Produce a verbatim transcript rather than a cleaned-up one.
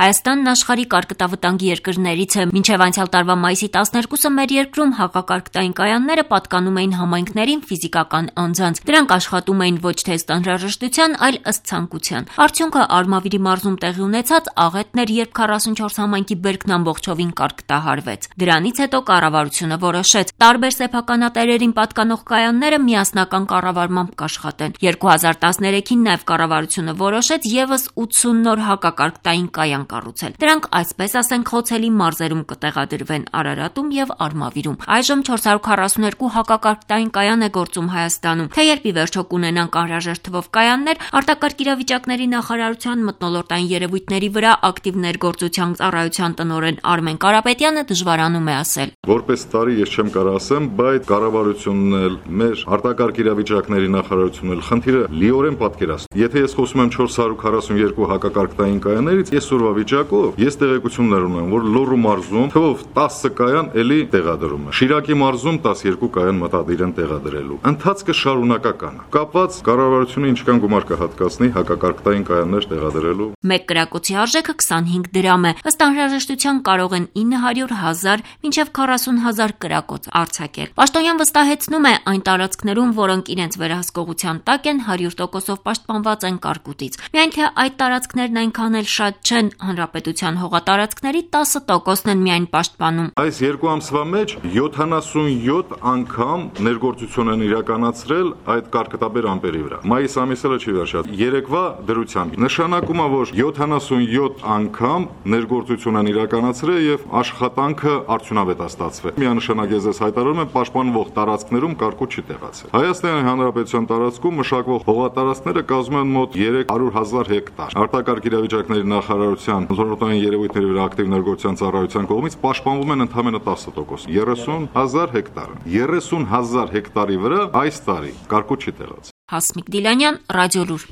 Հայաստանն աշխարհի կարկտավտանգի երկրներից է։ Մինչև անցյալ տարվա մայիսի տասներկուսը մեր երկրում հակակարկտային կայանները պատկանում էին համայնքներին ֆիզիկական անձանց։ Դրանք աշխատում էին ոչ թե ըստ անհրաժեշտության, այլ ըստ ցանկության։ Արդյունքը Արմավիրի մարզում տեղի ունեցած աղետն էր, երբ քառասունչորս համայնքի բերքն ամբողջովին կարկտահարվեց։ Դրանից հետո կառավարությունը որոշեց տարբեր սեփականատերերին պատկանող կայանները միասնական կառավարմամբ կաշխատեն։ երկու հազար տասներեքին նաև կառավարությունը որոշեց եւս ութսուն նոր հակակարկտային կայան կառուցել։ Դրանք, այսպես ասենք, խոցելի մարզերում կտեղադրվեն Արարատում եւ Արմավիրում։ Այժմ չորս հարյուր քառասուններկու հակակարկտային կայան է գործում Հայաստանում։ Թե երբ ի վերջո կունենանք անհրաժեշտ թվով կայաններ, արտակարգ իրավիճակների նախարարության մթնոլորտային երևույթների վրա ակտիվ ներգործության ծառայության տնօրեն Արմեն Կարապետյանը դժվարանում է ասել. Որպես տարի ես չեմ կարող ասեմ, բայց կառավարությունն էլ, մեր արտակարգ իրավիճակների նախարարությունն էլ խնդիրը լիորեն պատկերացնում։ Եթե ես խոսում եմ չորս հարյուր քառասունյոթ հակակարկտային կայաններից, այսօրվա վիճակով ես տեղեկություններ ունեմ, որ Լոռու մարզում թվով տասը կայան էլի տեղադրում է։ Շիրակի մարզում տասներկու կայան մտադիր են տեղադրելու։ Ընթացքը շարունակական է։ Կապված կառավարությունը ինչքան գումար կհատկացնի հակակարկտային կայաններ տեղադրելու։ Մեկ կրակոցի արժեքը քսանհինգ դրամ է։ Ըստ անհրաժեշտության կարող են ինը հարյուր հազար մինչև քառասուն հազար կրակոց արձակել։ Պաշտոնյան վստահեցնում է, այն տարածքներում, որոնք իրենց վերահսկողության տակ են, հարյուր տոկոսով պաշտպանված են կարկուտից։ Միայն թե այդ տարածքներն այնքան էլ շատ չեն, հանրապետության հողատարածքների տասը տոկոսն են միայն պաշտպանում։ Այս երկու ամսվա մեջ յոթանասունյոթ անգամ ներգործություն են իրականացրել այդ կարկտաբեր ամպերի վրա։ Մայիս ամիսը չի վերջացել։ Երեկվա դրությամբ նշանակում է, որ յոթանասունյոթ անգամ ներգործություն են իրականացրել եւ աշխատանքը արդյունավետ է ստացվել։ Միանշանակ ես ես հայտարարում եմ, պաշտպանվող տարածքներում կարկուտ չի տեղացել։ Հայաստանի Հանրապետության տարածքում մշակվող հողատարածքները կազմում են մոտ երեք հարյուր հազար հեկտար։ Արտակարգ իրավիճակների նախարարության մթնոլորտային երևույթների վրա ակտիվ ներգործության ծառայության կողմից պաշտպանվում են ընդամենը տասը տոկոս, երեսուն հազար հեկտար։ երեսուն հազար հեկտարի վրա այս տարի կարկուտ չի տեղացել։ Հասմիկ Դիլանյան, Ռադիոլուր։